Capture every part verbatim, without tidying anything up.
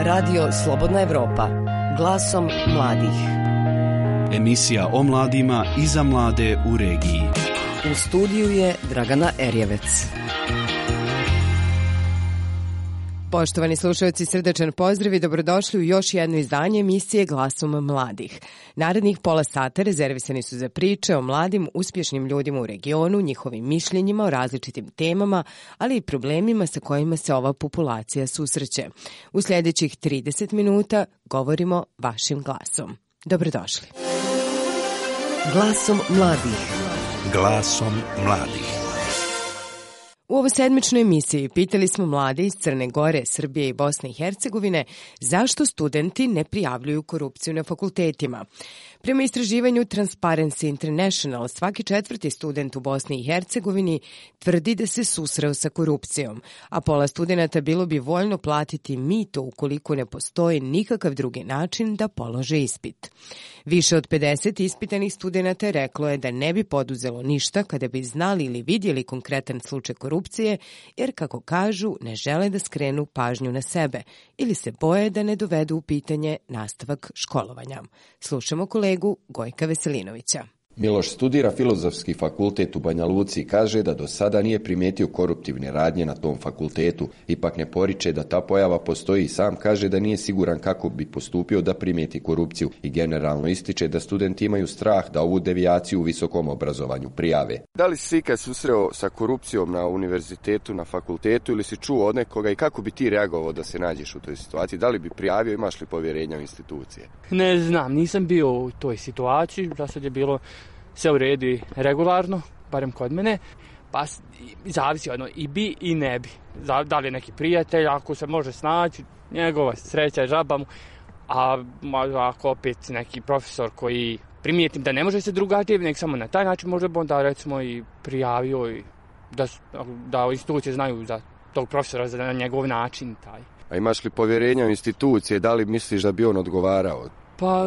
Radio Slobodna Evropa, glasom mladih. Emisija o mladima i za mlade u regiji. U studiju je Dragana Erjevec. Poštovani slušalci, srdečan pozdrav i dobrodošli u još jedno izdanje emisije Glasom mladih. Narednih pola sata rezervisani su za priče o mladim, uspješnim ljudima u regionu, njihovim mišljenjima o različitim temama, ali i problemima sa kojima se ova populacija susreće. U sljedećih trideset minuta govorimo vašim glasom. Dobrodošli. Glasom mladih. Glasom mladih. U ovoj sedmičnoj emisiji pitali smo mlade iz Crne Gore, Srbije i Bosne i Hercegovine zašto studenti ne prijavljuju korupciju na fakultetima. Prema istraživanju Transparency International, svaki četvrti student u Bosni i Hercegovini tvrdi da se susreo sa korupcijom, a pola studenata bilo bi voljno platiti mito ukoliko ne postoji nikakav drugi način da polože ispit. Više od pedeset ispitanih studenata reklo je da ne bi poduzelo ništa kada bi znali ili vidjeli konkretan slučaj korupcije, jer, kako kažu, ne žele da skrenu pažnju na sebe ili se boje da ne dovedu u pitanje nastavak školovanja. Slušamo kolegu Gojka Veselinovića. Miloš studira Filozofski fakultet u Banja Luci i kaže da do sada nije primijetio koruptivne radnje na tom fakultetu. Ipak ne poriče da ta pojava postoji i sam kaže da nije siguran kako bi postupio da primijeti korupciju i generalno ističe da studenti imaju strah da ovu devijaciju u visokom obrazovanju prijave. Da li si ikad susreo sa korupcijom na univerzitetu, na fakultetu ili si čuo od nekoga i kako bi ti reagovao da se nađeš u toj situaciji? Da li bi prijavio, imaš li povjerenja u institucije? Ne znam, nisam bio u toj situaciji, za sad je bilo sve u redu regularno, barem kod mene, pa zavisi ono, i bi i ne bi. Da li je neki prijatelj, ako se može snaći, njegova sreća je žaba mu, a ako opet neki profesor koji primijetim da ne može se drugačije, nek samo na taj način može onda recimo i prijavio i da, da institucije znaju za tog profesora, za njegov način taj. A imaš li povjerenja u institucije, da li misliš da bi on odgovarao? Pa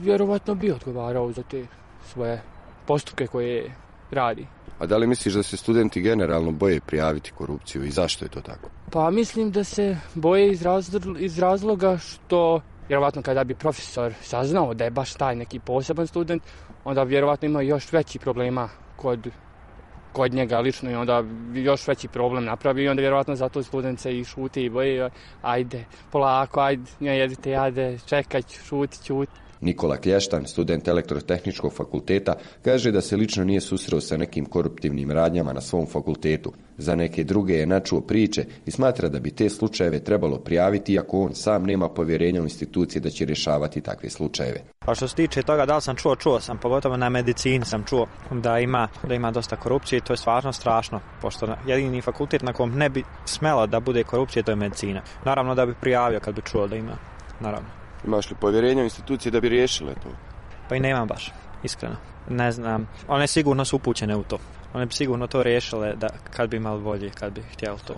vjerovatno bi odgovarao za te svoje postupke koje radi. A da li misliš da se studenti generalno boje prijaviti korupciju i zašto je to tako? Pa mislim da se boje iz, razlo- iz razloga što vjerovatno kada bi profesor saznao da je baš taj neki poseban student, onda vjerovatno ima još veći problema kod, kod njega lično i onda još veći problem napravi i onda vjerovatno zato student se i šuti i boje, ajde polako, ajde, ne jedite, ajde, čekaj, šuti, čuti. Nikola Klještan, student Elektrotehničkog fakulteta, kaže da se lično nije susreo sa nekim koruptivnim radnjama na svom fakultetu. Za neke druge je načuo priče i smatra da bi te slučajeve trebalo prijaviti, iako on sam nema povjerenja u institucije da će rješavati takve slučajeve. Pa što se tiče toga da li sam čuo, čuo sam, pogotovo na medicini sam čuo da ima, da ima dosta korupcije i to je stvarno strašno, pošto jedini fakultet na kom ne bi smelo da bude korupcije, to je medicina. Naravno da bi prijavio kad bi čuo da ima, naravno. Imaš li povjerenja u institucije da bi riješile to? Pa i nemam baš, iskreno. Ne znam, one sigurno su upućene u to. One bi sigurno to riješile da, kad bi imali volje, kad bi htjeli to.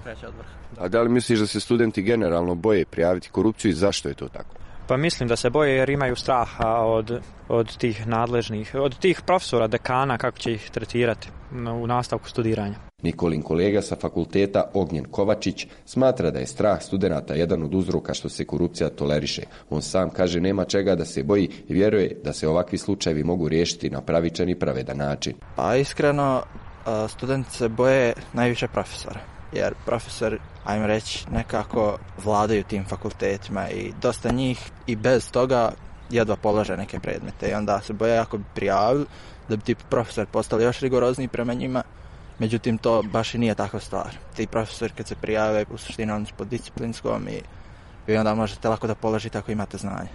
A da li misliš da se studenti generalno boje prijaviti korupciju i zašto je to tako? Pa mislim da se boje jer imaju straha od, od tih nadležnih, od tih profesora, dekana, kako će ih tretirati u nastavku studiranja. Nikolin kolega sa fakulteta Ognjen Kovačić smatra da je strah studenata jedan od uzroka što se korupcija toleriše. On sam kaže nema čega da se boji i vjeruje da se ovakvi slučajevi mogu riješiti na pravičan i pravedan način. Pa iskreno, studenti se boje najviše profesora. Jer profesor, ajmo reći, nekako vladaju tim fakultetima i dosta njih i bez toga jedva polože neke predmete. I onda se boje ako bi prijavili da bi ti profesor postali još rigorozniji prema njima. Međutim, to baš i nije takva stvar. Ti profesori kad se prijave, u suštini oni su pod disciplinskom i vi onda možete lako da položite ako imate znanje.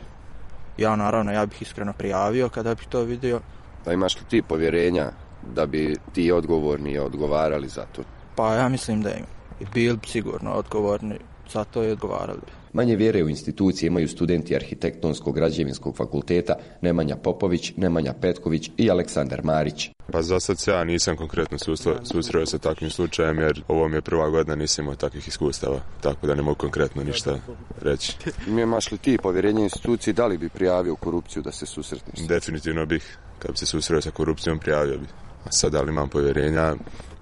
Ja naravno, ja bih iskreno prijavio kada bih to vidio. Da imaš li ti povjerenja da bi ti odgovorni odgovarali za to? Pa ja mislim da im i bili sigurno odgovorni za to i odgovarali. Manje vjere u institucije imaju studenti Arhitektonskog građevinskog fakulteta Nemanja Popović, Nemanja Petković i Aleksandar Marić. Pa za sad se ja nisam konkretno susreo sa takvim slučajem jer ovo mi je prva godina, nisam imao takvih iskustava, tako da ne mogu konkretno ništa reći. Imaš li ti povjerenje institucije, da li bi prijavio korupciju da se susretneš? Definitivno bih, kad bi se susreo sa korupcijom prijavio bi. A sad da li imam povjerenja,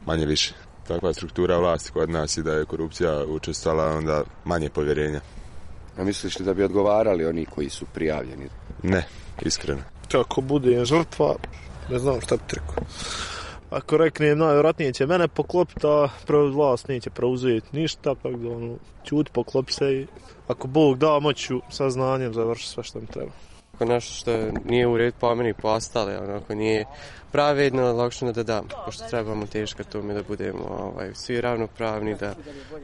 manje više. Takva struktura vlasti kod nas i da je korupcija učestala, onda manje povjerenja. A misliš li da bi odgovarali oni koji su prijavljeni? Ne, iskreno. Ako bude žrtva, ne znam šta bi rekao. Ako reknem, najvjerojatnije će mene poklopiti, a vlast neće preuzeti ništa, tako da ono, ćuti, poklopi se i ako Bog da, moću saznanjem završiti sve što mi treba. Ako nešto što nije u redu po meni, po ostale, ako nije pravedno, lakše da dam, pošto trebamo teško tome da budemo ovaj, svi ravnopravni, da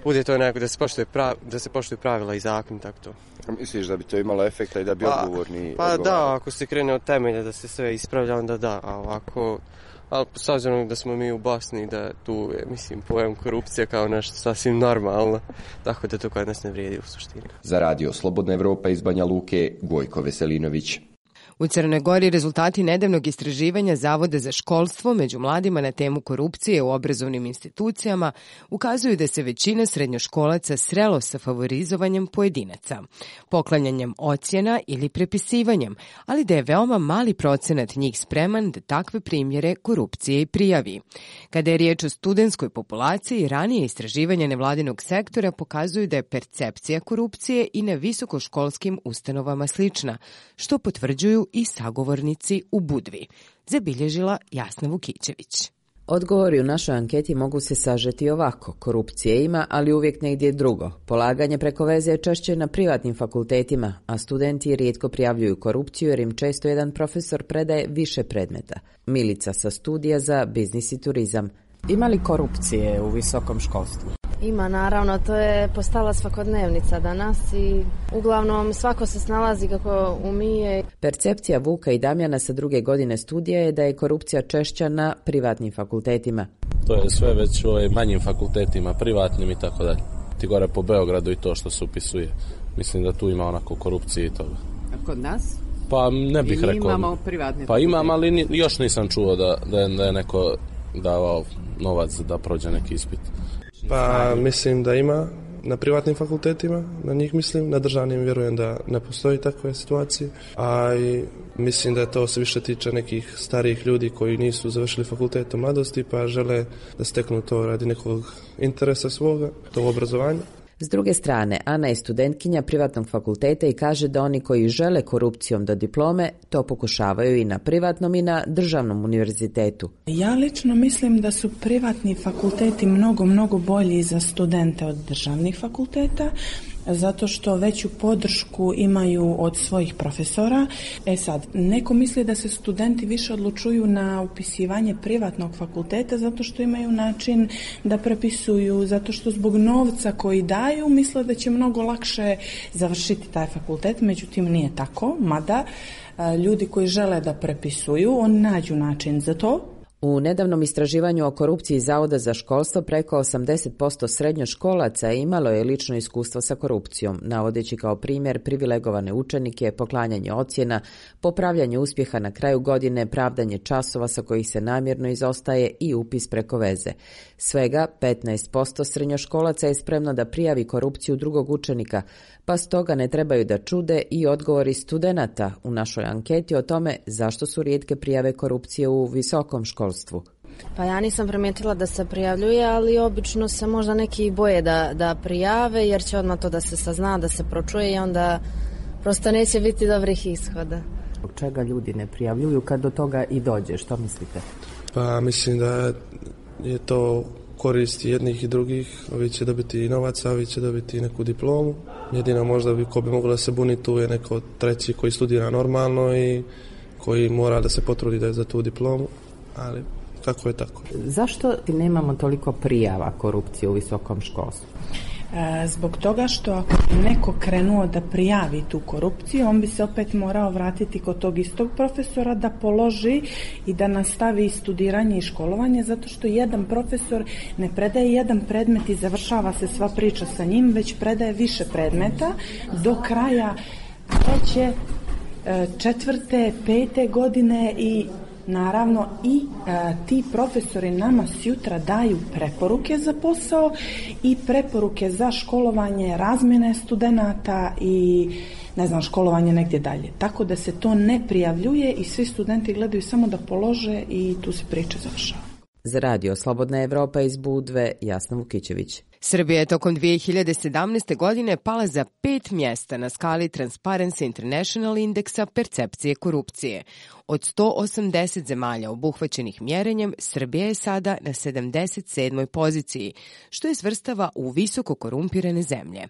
bude to neko, da se poštuje, prav, da se poštuje pravila i zakon, tako to. A misliš da bi to imalo efekta i da bi pa, odgovorni Pa odgovarali? Da, ako se krene od temelja da se sve ispravlja, onda da, a ovako... Ali s obzirom da smo mi u Bosni, da tu je, mislim, pojam korupcija kao nešto sasvim normalno, tako da to kod nas ne vrijedi u suštini. Za radio Slobodna Evropa iz Banja Luke, Gojko Veselinović. U Crnoj Gori rezultati nedavnog istraživanja Zavoda za školstvo među mladima na temu korupcije u obrazovnim institucijama ukazuju da se većina srednjoškolaca srelo sa favorizovanjem pojedinaca, poklanjanjem ocjena ili prepisivanjem, ali da je veoma mali procenat njih spreman da takve primjere korupcije i prijavi. Kada je riječ o studentskoj populaciji, ranije istraživanja nevladinog sektora pokazuju da je percepcija korupcije i na visokoškolskim ustanovama slična, što potvrđuju i sagovornici u Budvi, zabilježila Jasna Vukićević. Odgovori u našoj anketi mogu se sažeti ovako. Korupcije ima, ali uvijek negdje drugo. Polaganje preko veze je češće na privatnim fakultetima, a studenti rijetko prijavljuju korupciju jer im često jedan profesor predaje više predmeta. Milica sa studija za biznis i turizam. Ima li korupcije u visokom školstvu? Ima, naravno, to je postala svakodnevnica danas i uglavnom svako se snalazi kako umije. Percepcija Vuka i Damjana sa druge godine studija je da je korupcija češća na privatnim fakultetima. To je sve već u manjim fakultetima, privatnim i tako dalje. Ti gore po Beogradu i to što se upisuje. Mislim da tu ima onako korupcije i toga. A kod nas? Pa ne bih I rekao. Imamo privatne Pa fakultete. imam, ali ni, još nisam čuo da, da, je, da je neko davao novac da prođe neki ispit. Pa mislim da ima na privatnim fakultetima, na njih mislim, na državnim vjerujem da ne postoji takve situacije, a i mislim da to se više tiče nekih starijih ljudi koji nisu završili fakultet u mladosti pa žele da steknu to radi nekog interesa svoga, to obrazovanja. S druge strane, Ana je studentkinja privatnog fakulteta i kaže da oni koji žele korupcijom do diplome to pokušavaju i na privatnom i na državnom univerzitetu. Ja lično mislim da su privatni fakulteti mnogo, mnogo bolji za studente od državnih fakulteta, zato što veću podršku imaju od svojih profesora. E sad, neko misli da se studenti više odlučuju na upisivanje privatnog fakulteta zato što imaju način da prepisuju, zato što zbog novca koji daju misle da će mnogo lakše završiti taj fakultet, međutim nije tako, mada ljudi koji žele da prepisuju, oni nađu način za to. U nedavnom istraživanju o korupciji Zavoda za školstvo preko osamdeset posto srednjoškolaca imalo je lično iskustvo sa korupcijom, navodeći kao primjer privilegovane učenike, poklanjanje ocjena, popravljanje uspjeha na kraju godine, pravdanje časova sa kojih se namjerno izostaje i upis preko veze. Svega petnaest posto srednjoškolaca je spremno da prijavi korupciju drugog učenika, pa stoga ne trebaju da čude i odgovori studenata u našoj anketi o tome zašto su rijetke prijave korupcije u visokom školstvu. Pa ja nisam primijetila da se prijavljuje, ali obično se možda neki boje da, da prijave jer će odmah to da se sazna, da se pročuje i onda prosto neće biti dobrih ishoda. Zbog čega ljudi ne prijavljuju kad do toga i dođe, što mislite? Pa mislim da je to koristi jednih i drugih, ovi će dobiti i novac, a ovi će dobiti neku diplomu. Jedino možda bi ko bi moglo da se buni tu je neko treći koji studira normalno i koji mora da se potrudi da je za tu diplomu, ali kako je tako. Zašto nemamo toliko prijava korupcije u visokom školstvu? Zbog toga što ako bi neko krenuo da prijavi tu korupciju, on bi se opet morao vratiti kod tog istog profesora da položi i da nastavi studiranje i školovanje, zato što jedan profesor ne predaje jedan predmet i završava se sva priča sa njim, već predaje više predmeta do kraja treće, četvrte, pete godine i naravno i e, ti profesori nama sjutra daju preporuke za posao i preporuke za školovanje, razmjene studenata i ne znam, školovanje negdje dalje. Tako da se to ne prijavljuje i svi studenti gledaju samo da polože i tu se priča završava. Za radio Slobodna Evropa iz Budve, Jasna Vukićević. Srbija je tokom dvije hiljade sedamnaeste. godine pala za pet mjesta na skali Transparency International indeksa percepcije korupcije. Od sto osamdeset zemalja obuhvaćenih mjerenjem, Srbija je sada na sedamdeset sedmoj poziciji, što je svrstava u visoko korumpirane zemlje.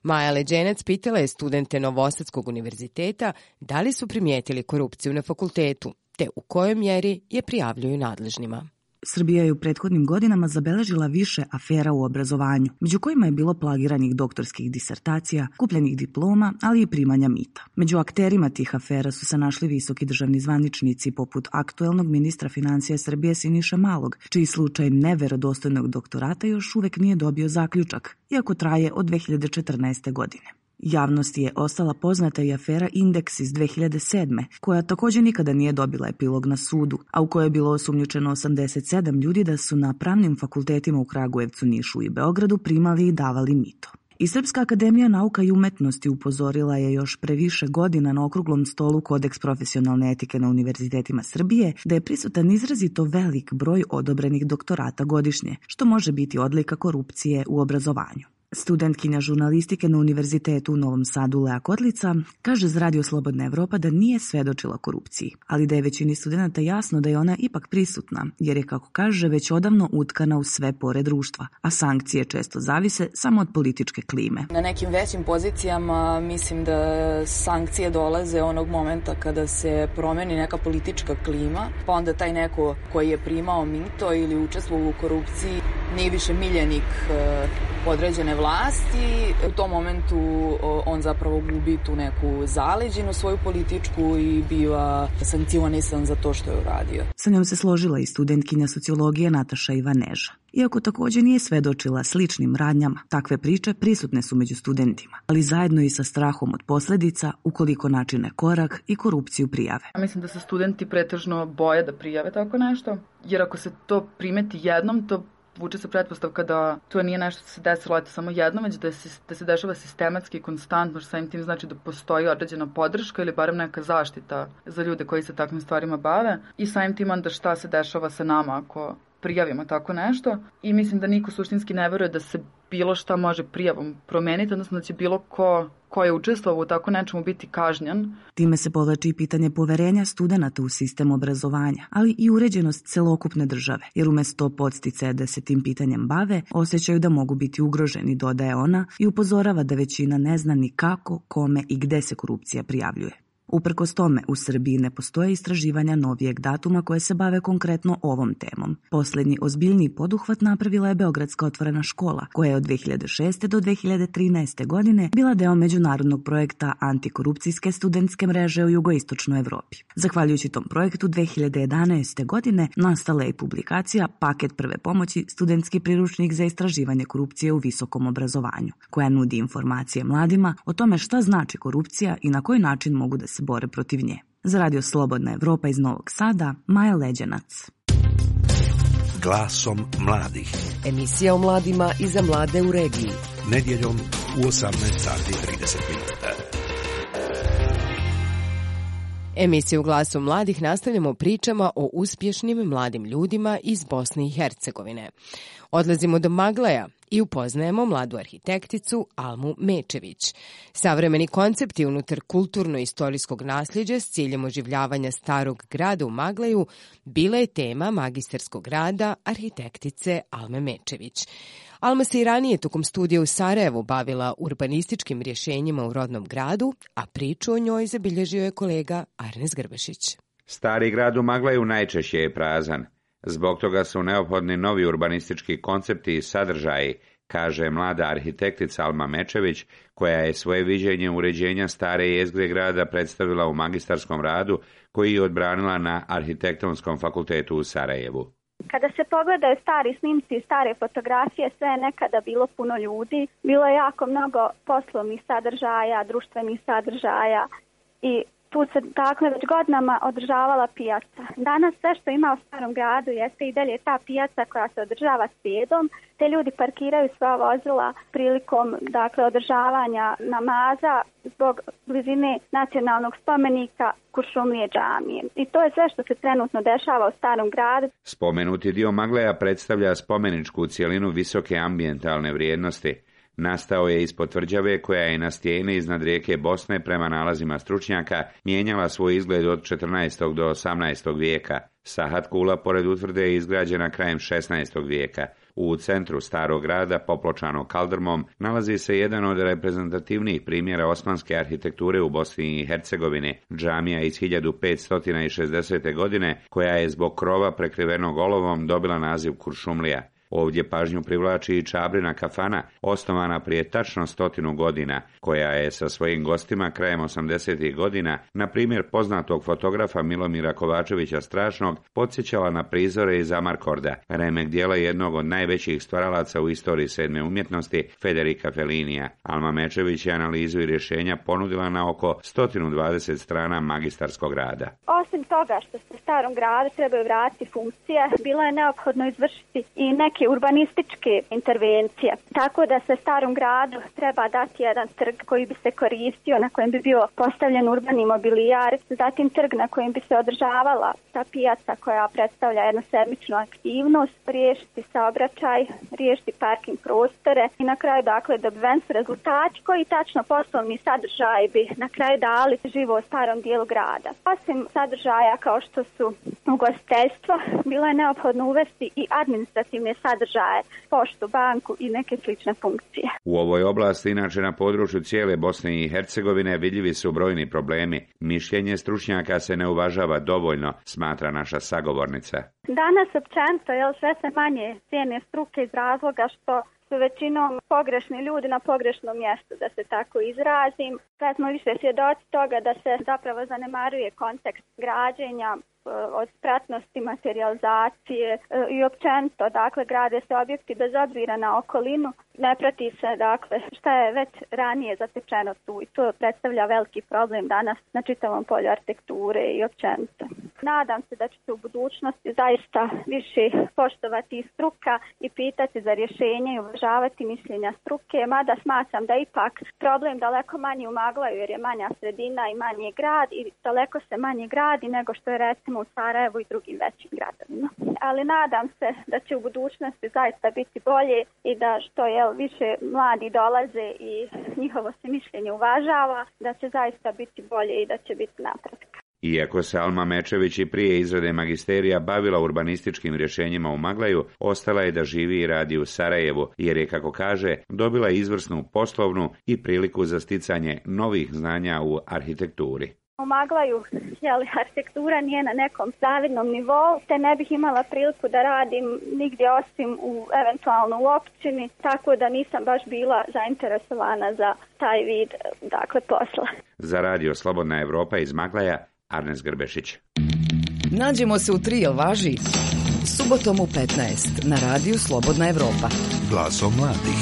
Maja Leđenac pitala je studente Novosadskog univerziteta da li su primijetili korupciju na fakultetu, te u kojoj mjeri je prijavljuju nadležnima. Srbija je u prethodnim godinama zabeležila više afera u obrazovanju, među kojima je bilo plagiranih doktorskih disertacija, kupljenih diploma, ali i primanja mita. Među akterima tih afera su se našli visoki državni zvaničnici poput aktuelnog ministra financija Srbije Siniše Malog, čiji slučaj neverodostojnog doktorata još uvek nije dobio zaključak, iako traje od dve hiljade četrnaeste. godine. Javnosti je ostala poznata i afera Indeks iz dve hiljade sedme. koja također nikada nije dobila epilog na sudu, a u kojoj je bilo osumnjičeno osamdeset sedam ljudi da su na pravnim fakultetima u Kragujevcu, Nišu i Beogradu primali i davali mito. I Srpska akademija nauka i umetnosti upozorila je još pre više godina na okruglom stolu Kodeks profesionalne etike na univerzitetima Srbije da je prisutan izrazito velik broj odobrenih doktorata godišnje, što može biti odlika korupcije u obrazovanju. Studentkinja žurnalistike na univerzitetu u Novom Sadu Lea Kotlica kaže za Radio Slobodna Evropa da nije svedočila korupciji, ali da je većini studenta jasno da je ona ipak prisutna, jer je, kako kaže, već odavno utkana u sve pore društva, a sankcije često zavise samo od političke klime. Na nekim većim pozicijama mislim da sankcije dolaze onog momenta kada se promeni neka politička klima, pa onda taj neko koji je primao mito ili učestvovao u korupciji nije više miljenik određene vlasti. U tom momentu on zapravo gubi tu neku zaleđinu svoju političku i biva sankcionisan za to što je uradio. Sa njom se složila i studentkinja sociologije Nataša Ivaneža. Iako također nije svedočila sličnim radnjama, takve priče prisutne su među studentima, ali zajedno i sa strahom od posljedica ukoliko načine korak i korupciju prijave. Mislim da se studenti pretežno boje da prijave tako nešto, jer ako se to primeti jednom, to vuče se pretpostavka da to nije nešto što se desilo eto samo jednom, već da se, da se dešava sistematski i konstantno, što samim tim znači da postoji određena podrška ili barem neka zaštita za ljude koji se takvim stvarima bave i samim tim onda šta se dešava sa nama ako prijavimo tako nešto. I mislim da niko suštinski ne veruje da se bilo šta može prijavom promeniti, odnosno da će bilo ko ko je učestvovao u tako nečemu biti kažnjen. Time se povlači i pitanje poverenja studenata u sistem obrazovanja, ali i uređenost celokupne države, jer umjesto podsticaja da se tim pitanjem bave, osjećaju da mogu biti ugroženi, dodaje ona i upozorava da većina ne zna ni kako, kome i gde se korupcija prijavljuje. Uprkos tome, u Srbiji ne postoje istraživanja novijeg datuma koje se bave konkretno ovom temom. Posljednji ozbiljniji poduhvat napravila je Beogradska otvorena škola, koja je od dve hiljade šeste. do dve hiljade trinaeste. godine bila deo međunarodnog projekta antikorupcijske studentske mreže u jugoistočnoj Evropi. Zahvaljujući tom projektu dve hiljade jedanaeste. godine nastala je i publikacija Paket prve pomoći, studentski priručnik za istraživanje korupcije u visokom obrazovanju, koja nudi informacije mladima o tome šta znači korupcija i na koji način mogu da se bore protiv nje. Za Radio Slobodna Evropa iz Novog Sada, Maja Leđenac. Glasom mladih. Emisija o mladima i za mlade u regiji. Nedjeljom u osamnaest sati i trideset minuta. Emisiju Glasu mladih nastavljamo pričama o uspješnim mladim ljudima iz Bosne i Hercegovine. Odlazimo do Maglaja i upoznajemo mladu arhitekticu Almu Mečević. Savremeni koncepti unutar kulturno-istorijskog nasljeđa s ciljem oživljavanja starog grada u Maglaju bila je tema magistarskog rada arhitektice Alme Mečević. Alma se i ranije tokom studija u Sarajevu bavila urbanističkim rješenjima u rodnom gradu, a priču o njoj zabilježio je kolega Arnes Grbešić. Stari grad u Maglaju najčešće je prazan. Zbog toga su neophodni novi urbanistički koncepti i sadržaji, kaže mlada arhitektica Alma Mečević, koja je svoje viđenje uređenja stare jezgre grada predstavila u magistarskom radu koji je odbranila na Arhitektonskom fakultetu u Sarajevu. Kada se pogledaju stari snimci i stare fotografije, sve je nekada bilo puno ljudi. Bilo je jako mnogo poslovnih sadržaja, društvenih sadržaja i Tu se dakle već godinama održavala pijaca. Danas sve što ima u Starom gradu jeste i dalje ta pijaca koja se održava srijedom. Te ljudi parkiraju sva vozila prilikom dakle održavanja namaza zbog blizine nacionalnog spomenika Kuršumlije džamije. I to je sve što se trenutno dešava u Starom gradu. Spomenuti dio Magleja predstavlja spomeničku cjelinu visoke ambijentalne vrijednosti. Nastao je ispod tvrđave koja je na stijeni iznad rijeke Bosne prema nalazima stručnjaka mijenjala svoj izgled od četrnaestog do osamnaestog vijeka. Sahat kula pored utvrde je izgrađena krajem šesnaestog vijeka. U centru starog grada, popločanog kaldrmom, nalazi se jedan od reprezentativnijih primjera osmanske arhitekture u Bosni i Hercegovini, džamija iz hiljadu petsto šezdesete. godine, koja je zbog krova prekrivenog olovom dobila naziv Kuršumlija. Ovdje pažnju privlači i Čabrina kafana, osnovana prije tačno stotinu godina, koja je sa svojim gostima krajem osamdesetih godina, na primjer poznatog fotografa Milomira Kovačevića Strašnog, podsjećala na prizore iz Amarkorda, remek dijela jednog od najvećih stvaralaca u istoriji sedme umjetnosti, Federica Fellinija. Alma Mečević je analizu i rješenja ponudila na oko sto dvadeset strana magistarskog rada. Osim toga što se Starom gradu trebaju vratiti funkcije, bilo je neophodno izvršiti i neke urbanističke intervencije. Tako da se Starom gradu treba dati jedan trg koji bi se koristio, na kojem bi bio postavljen urbani mobilijar, zatim trg na kojem bi se održavala ta pijaca koja predstavlja jednu sedmičnu aktivnost, riješiti saobraćaj, riješiti parking prostore i na kraju dakle dobiven su rezultati koji tačno poslovni sadržaj bi na kraju dali živo u starom dijelu grada. Osim sadržaja kao što su ugostiteljstvo, bilo je neophodno uvesti i administrativne sadržaje, poštu, banku i neke slične funkcije. U ovoj oblasti, inače na području cijele Bosne i Hercegovine, vidljivi su brojni problemi. Mišljenje stručnjaka se ne uvažava dovoljno, smatra naša sagovornica. Danas općenito je sve se manje cijene struke iz razloga što su većinom pogrešni ljudi na pogrešnom mjestu, da se tako izrazim. Sad smo više svjedoci toga da se zapravo zanemaruje kontekst građenja, od spratnosti, materijalizacije i općenito, dakle, grade se objekti bez obzira na okolinu, ne prati se, dakle, šta je već ranije zatečeno tu i to predstavlja veliki problem danas na čitavom polju arhitekture i općenito. Nadam se da će se u budućnosti zaista više poštovati struka i pitati za rješenje i uvažavati mišljenja struke, mada smatram da ipak problem daleko manje u Maglaju jer je manja sredina i manji grad i daleko se manje gradi nego što je recimo u Sarajevu i drugim većim gradovima. Ali nadam se da će u budućnosti zaista biti bolje i da što je više mladi dolaze i njihovo se mišljenje uvažava, da će zaista biti bolje i da će biti napretka. Iako se Alma Mečević i prije izrade magisterija bavila urbanističkim rješenjima u Maglaju, ostala je da živi i radi u Sarajevu, jer je, kako kaže, dobila izvrsnu poslovnu i priliku za sticanje novih znanja u arhitekturi. U Maglaju jeli, arhitektura nije na nekom zavidnom nivou, te ne bih imala priliku da radim nigdje osim u eventualno u općini, tako da nisam baš bila zainteresovana za taj vid dakle, posla. Za radio Slobodna Evropa iz Maglaja, Arnes Grbešić. Nađemo se u tri, jel važi? Subotom u petnaest na radiju Slobodna Evropa. Glasom mladih.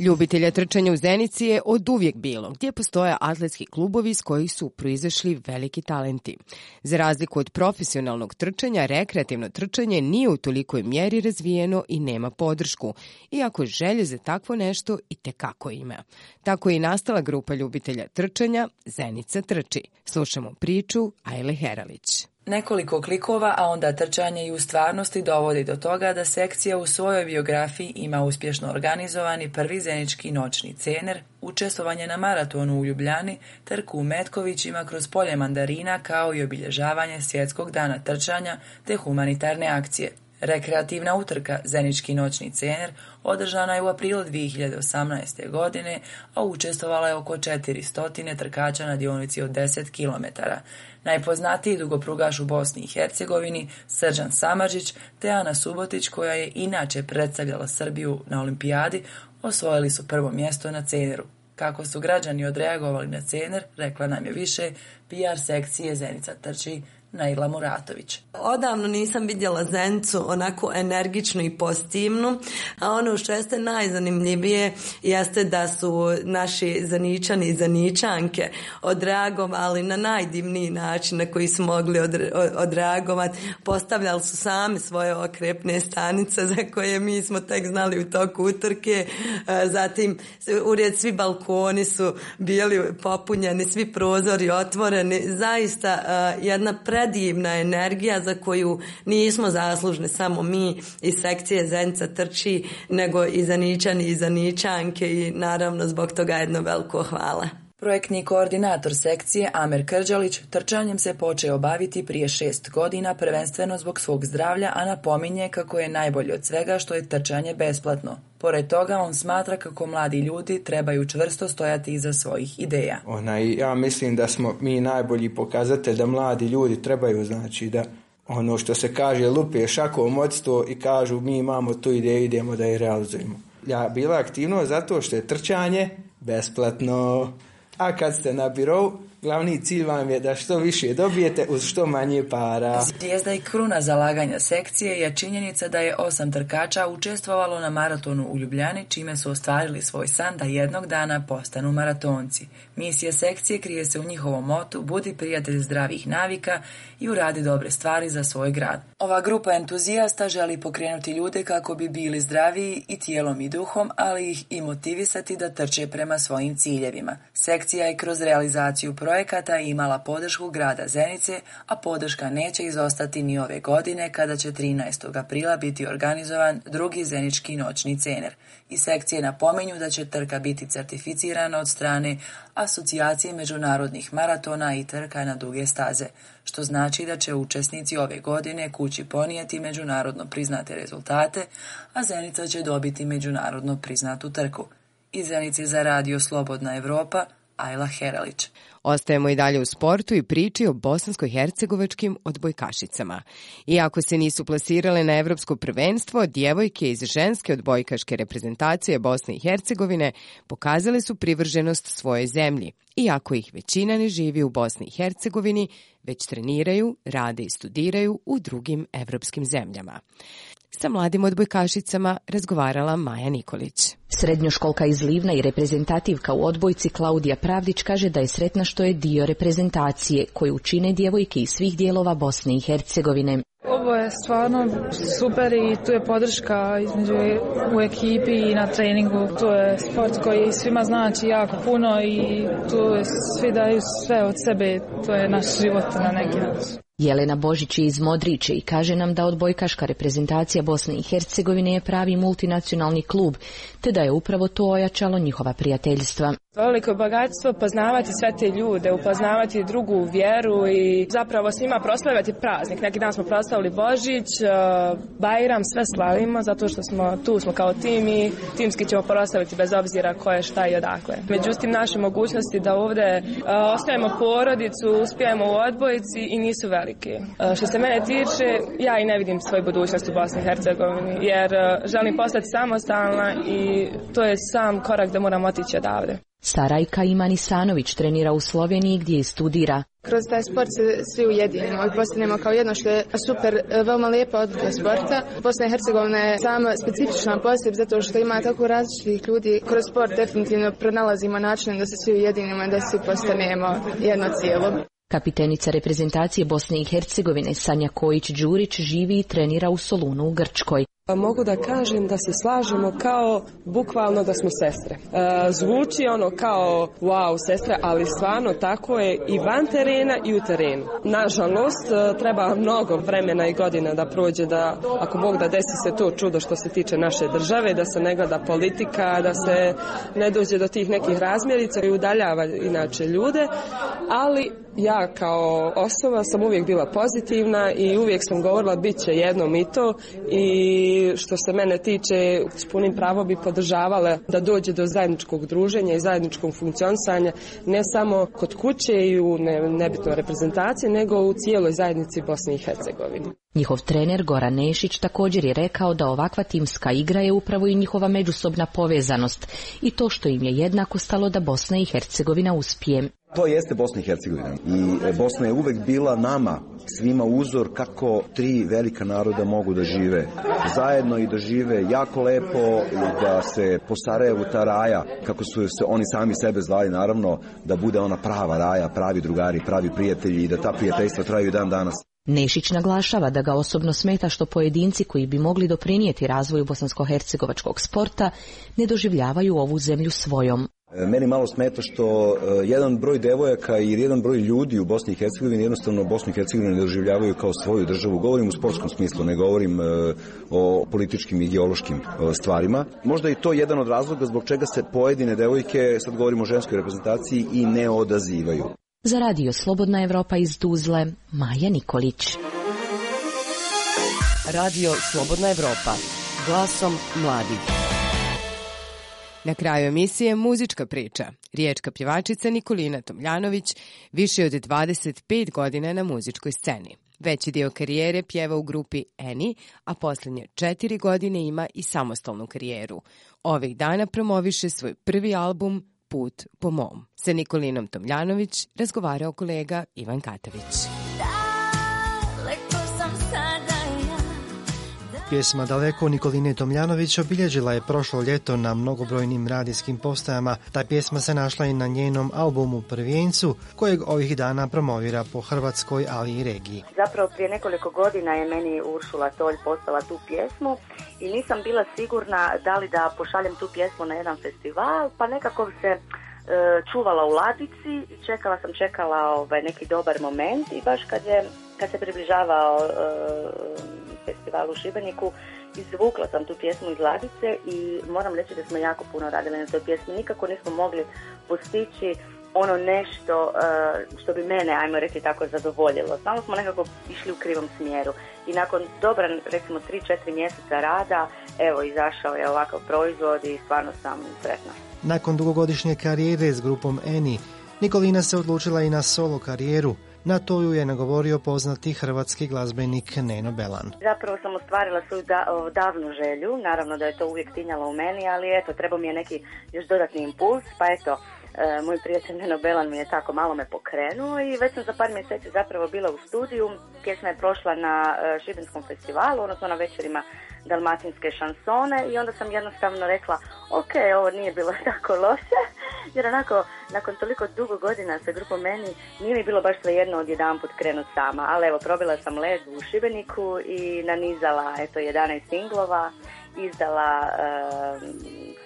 Ljubitelja trčanja u Zenici je od uvijek bilo, gdje postoje atletski klubovi iz kojih su proizašli veliki talenti. Za razliku od profesionalnog trčanja, rekreativno trčanje nije u tolikoj mjeri razvijeno i nema podršku, iako želje za takvo nešto i tekako ima. Tako je i nastala grupa ljubitelja trčanja Zenica trči. Slušamo priču Ajle Heralić. Nekoliko klikova, a onda trčanje i u stvarnosti dovodi do toga da sekcija u svojoj biografiji ima uspješno organizovani prvi zenički noćni cener, učestvovanje na maratonu u Ljubljani, trku u Metkovićima kroz polje mandarina kao i obilježavanje svjetskog dana trčanja te humanitarne akcije. Rekreativna utrka Zenički noćni cener održana je u aprilu dvije hiljade osamnaeste. godine, a učestvovala je oko četiristo trkača na dionici od deset kilometara. Najpoznatiji dugoprugaš u Bosni i Hercegovini, Srđan Samardžić te Ana Subotić, koja je inače predstavljala Srbiju na olimpijadi, osvojili su prvo mjesto na ceneru. Kako su građani odreagovali na cener, rekla nam je više P R sekcije Zenica trči Naila Muratović. Odavno nisam vidjela Zenicu onako energičnu i pozitivnu, a ono što jeste najzanimljivije jeste da su naši Zeničani i Zeničanke odreagovali na najdivniji način na koji su mogli odreagovati. Postavljali su sami svoje okrepne stanice za koje mi smo tek znali u toku utrke. Zatim ured svi balkoni su bili popunjeni, svi prozori otvoreni. Zaista jedna predivna energija za koju nismo zaslužni samo mi iz sekcije Zenica trči, nego i Zeničani i Zeničanke i naravno zbog toga jedno veliko hvala. Projektni koordinator sekcije Amer Krđalić trčanjem se počeo baviti prije šest godina prvenstveno zbog svog zdravlja, a napominje kako je najbolje od svega što je trčanje besplatno. Pored toga on smatra kako mladi ljudi trebaju čvrsto stojati iza svojih ideja. Ona, ja mislim da smo mi najbolji pokazatelj da mladi ljudi trebaju, znači da ono što se kaže lupe šakom od sto i kažu mi imamo tu ideju, idemo da je realizujemo. Ja bila aktivno zato što je trčanje besplatno. A kad ste na birou, glavni cilj vam je da što više dobijete uz što manje para. Zvijezda i kruna zalaganja sekcije je činjenica da je osam trkača učestvovalo na maratonu u Ljubljani, čime su ostvarili svoj san da jednog dana postanu maratonci. Misija sekcije krije se u njihovom motu budi prijatelj zdravih navika i uradi dobre stvari za svoj grad. Ova grupa entuzijasta želi pokrenuti ljude kako bi bili zdraviji i tijelom i duhom, ali ih i motivisati da trče prema svojim ciljevima. Sekcija je kroz realizaciju projekata imala podršku grada Zenice, a podrška neće izostati ni ove godine kada će trinaestog aprila biti organizovan drugi zenički noćni cener. I sekcije napominju da će trka biti certificirana od strane Asocijacije međunarodnih maratona i trka na duge staze, što znači da će učesnici ove godine kući ponijeti međunarodno priznate rezultate, a Zenica će dobiti međunarodno priznatu trku. Iz Zenice za radio Slobodna Evropa, Ajla Heralić. Ostajemo i dalje u sportu i priči o bosansko-hercegovačkim odbojkašicama. Iako se nisu plasirale na evropsko prvenstvo, djevojke iz ženske odbojkaške reprezentacije Bosne i Hercegovine pokazale su privrženost svojoj zemlji. Iako ih većina ne živi u Bosni i Hercegovini, već treniraju, rade i studiraju u drugim evropskim zemljama. Sa mladim odbojkašicama razgovarala Maja Nikolić. Srednjoškolka iz Livna i reprezentativka u odbojci Klaudija Pravdić kaže da je sretna što je dio reprezentacije koju čine djevojke iz svih dijelova Bosne i Hercegovine. Ovo je stvarno super i tu je podrška između u ekipi i na treningu. To je sport koji svima znači jako puno i tu svi daju sve od sebe. To je naš život na neki način. Jelena Božić je iz Modriče i kaže nam da odbojkaška reprezentacija Bosne i Hercegovine je pravi multinacionalni klub, te da je upravo to ojačalo njihova prijateljstva. Veliko bogatstvo poznavati sve te ljude, upoznavati drugu vjeru i zapravo s njima proslavljati praznik. Neki dan smo proslavili Božić, Bajram, sve slavimo zato što smo tu smo kao tim i timski ćemo proslaviti bez obzira ko je šta i odakle. Međutim, naše mogućnosti da ovdje ostajemo porodicu, uspijemo u odbojici i nisu velike. Što se mene tiče, ja i ne vidim svoju budućnost u Bosni i Hercegovini jer želim postati samostalna i to je sam korak da moram otići odavde. Sarajka Iman Isanović trenira u Sloveniji gdje i studira. Kroz taj sport se svi ujedinimo i postanemo kao jedno što je super, veoma lijepa odlika sporta. Bosna i Hercegovina je sama specifična poseb zato što ima tako različitih ljudi. Kroz sport definitivno pronalazimo način da se svi ujedinimo i da svi postanemo jedno cijelo. Kapitenica reprezentacije Bosne i Hercegovine Sanja Kojić-Đurić živi i trenira u Solunu u Grčkoj. Mogu da kažem da se slažemo kao bukvalno da smo sestre. E, zvuči ono kao wow sestre, ali stvarno tako je i van terena i u terenu. Nažalost, treba mnogo vremena i godina da prođe da, ako Bog da desi se to čudo što se tiče naše države, da se ne gleda politika, da se ne dođe do tih nekih razmjerica i udaljava inače ljude, ali ja kao osoba sam uvijek bila pozitivna i uvijek sam govorila bit će jednom i to i što se mene tiče s punim pravom bi podržavala da dođe do zajedničkog druženja i zajedničkog funkcionisanja ne samo kod kuće i u ne, nebitnoj reprezentaciji nego u cijeloj zajednici Bosne i Hercegovine. Njihov trener Goran Nešić također je rekao da ovakva timska igra je upravo i njihova međusobna povezanost i to što im je jednako stalo da Bosna i Hercegovina uspije. To jeste Bosna i Hercegovina i Bosna je uvek bila nama svima uzor kako tri velika naroda mogu da žive zajedno i da žive jako lepo i da se po Sarajevu ta raja, kako su se oni sami sebe zvali naravno, da bude ona prava raja, pravi drugari, pravi prijatelji i da ta prijateljstva traju i dan danas. Nešić naglašava da ga osobno smeta što pojedinci koji bi mogli doprinijeti razvoju bosansko-hercegovačkog sporta ne doživljavaju ovu zemlju svojom. Meni malo smeta što jedan broj devojaka i jedan broj ljudi u Bosni i Hercegovini jednostavno Bosnu i Hercegovinu ne doživljavaju kao svoju državu. Govorim u sportskom smislu, ne govorim o političkim i ideološkim stvarima. Možda je to jedan od razloga zbog čega se pojedine devojke, sad govorimo o ženskoj reprezentaciji, i ne odazivaju. Za radio Slobodna Evropa iz Tuzle, Maja Nikolić. Radio Slobodna Evropa, glasom mladih. Na kraju emisije muzička priča. Riječka pjevačica Nikolina Tomljanović više od dvadeset pet godina na muzičkoj sceni. Veći dio karijere pjeva u grupi Eni, a posljednje četiri godine ima i samostalnu karijeru. Ovih dana promoviše svoj prvi album Put po mom. Sa Nikolinom Tomljanović razgovarao kolega Ivan Katavić. Pjesma Daleko Nikoline Tomljanović obilježila je prošlo ljeto na mnogobrojnim radijskim postajama. Ta pjesma se našla i na njenom albumu Prvijencu, kojeg ovih dana promovira po Hrvatskoj, ali i regiji. Zapravo prije nekoliko godina je meni Uršula Tolj poslala tu pjesmu i nisam bila sigurna da li da pošaljem tu pjesmu na jedan festival, pa nekako se e, čuvala u ladici i čekala sam, čekala ovaj, neki dobar moment i baš kad, je, kad se približavao e, festival u Šibeniku, izvukla sam tu pjesmu iz ladice i moram reći da smo jako puno radili na toj pjesmi. Nikako nismo mogli postići ono nešto uh, što bi mene, ajmo reći tako, zadovoljilo. Samo smo nekako išli u krivom smjeru. I nakon dobra, recimo, tri četiri mjeseca rada, evo, izašao je ovakav proizvod i stvarno sam sretna. Nakon dugogodišnje karijere s grupom Eni, Nikolina se odlučila i na solo karijeru. Na to ju je nagovorio poznati hrvatski glazbenik Neno Belan. Zapravo sam ostvarila svoju da, davnu želju, naravno da je to uvijek tinjalo u meni, ali eto, trebao mi je neki još dodatni impuls, pa eto, e, moj prijatelj Neno Belan mi je tako malo me pokrenuo i već sam za par mjeseci zapravo bila u studiju. Pjesma je prošla na e, Šibenskom festivalu, odnosno na večerima dalmatinske šansone i onda sam jednostavno rekla, ok, ovo nije bilo tako loše, jer onako, nakon toliko dugo godina sa grupom Eni, nije mi bilo baš svejedno odjedanput krenut sama, ali evo, probila sam led u Šibeniku i nanizala, eto, jedanaest singlova, izdala uh,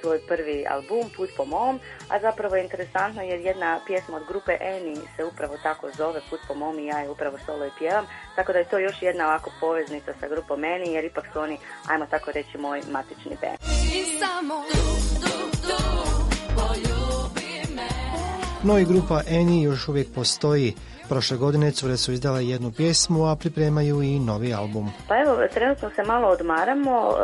svoj prvi album, Put po mom, a zapravo je interesantno jer jedna pjesma od grupe Eni se upravo tako zove, Put po mom, i ja je upravo solo i pjevam, tako da je to još jedna ovako poveznica sa grupom Eni, jer ipak su oni, ajmo tako reći, moj matični band. No i grupa Eni još uvijek postoji. Prošle godine cure su izdale jednu pjesmu, a pripremaju i novi album. Pa evo, trenutno se malo odmaramo, uh,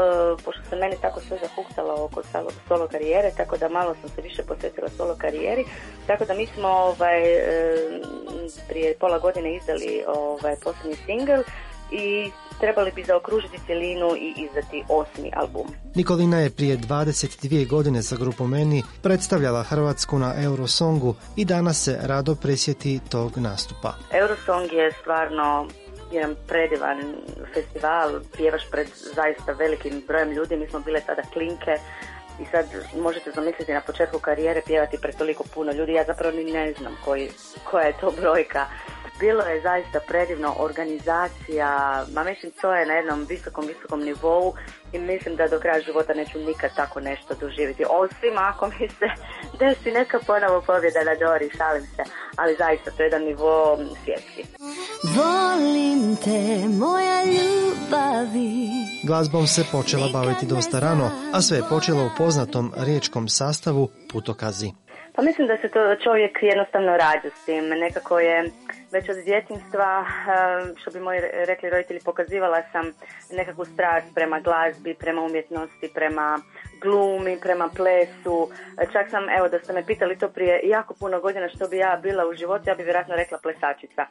pošto se meni tako sve zahuktalo oko solo karijere, tako da malo sam se više posvetila solo karijeri, tako da mi smo ovaj, uh, prije pola godine izdali ovaj, posljednji singl i trebali bi zaokružiti cjelinu i izdati osmi album. Nikolina je prije dvadeset dvije godine sa grupom Eni predstavljala Hrvatsku na Eurosongu i danas se rado prisjeti tog nastupa. Eurosong je stvarno jedan predivan festival, pjevaš pred zaista velikim brojem ljudi, mi smo bile tada klinke i sad možete zamisliti na početku karijere pjevati pred toliko puno ljudi, ja zapravo ni ne znam koji, koja je to brojka. Bilo je zaista predivno, organizacija, ma mislim to je na jednom visokom, visokom nivou i mislim da do kraja života neću nikad tako nešto doživjeti. Osim ako mi se desi neka ponovo pobjeda na Dori, šalim se, ali zaista to je jedan nivo svjetski. Volim te, moja ljubavi. Glazbom se počela baviti dosta rano, a sve je počelo u poznatom riječkom sastavu Putokazi. Pa mislim da se to čovjek jednostavno rađa s tim. Nekako je već od djetinjstva, što bi moji rekli roditelji, pokazivala sam nekakvu strast prema glazbi, prema umjetnosti, prema glumi, prema plesu. Čak sam, evo da ste me pitali to prije jako puno godina što bi ja bila u životu, ja bi vjerojatno rekla plesačica.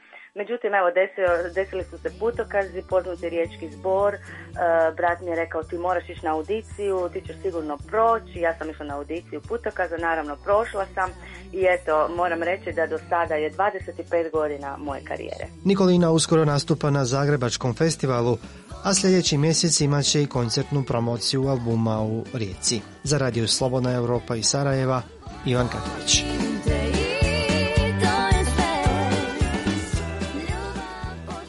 Međutim, evo, desio, desili su se putokazi, poznati riječki zbor, uh, brat mi je rekao ti moraš ići na audiciju, ti ćeš sigurno proći, ja sam išla na audiciju putokaza, naravno prošla sam i eto, moram reći da do sada je dvadeset pet godina moje karijere. Nikolina uskoro nastupa na Zagrebačkom festivalu, a sljedeći mjesec imat će i koncertnu promociju albuma u Rijeci. Za Radio Slobodna Europa iz Sarajeva, Ivan Katović.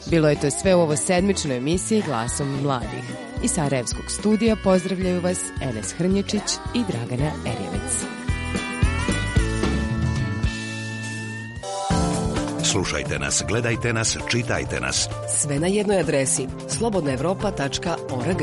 Bilo je to sve u ovo sedmičnoj emisiji Glasom mladih. Iz Sarajevskog studija pozdravljaju vas Enes Hrnječić i Dragana Erjevec. Slušajte nas, gledajte nas, čitajte nas. Sve na jednoj adresi slobodnaevropa tačka org.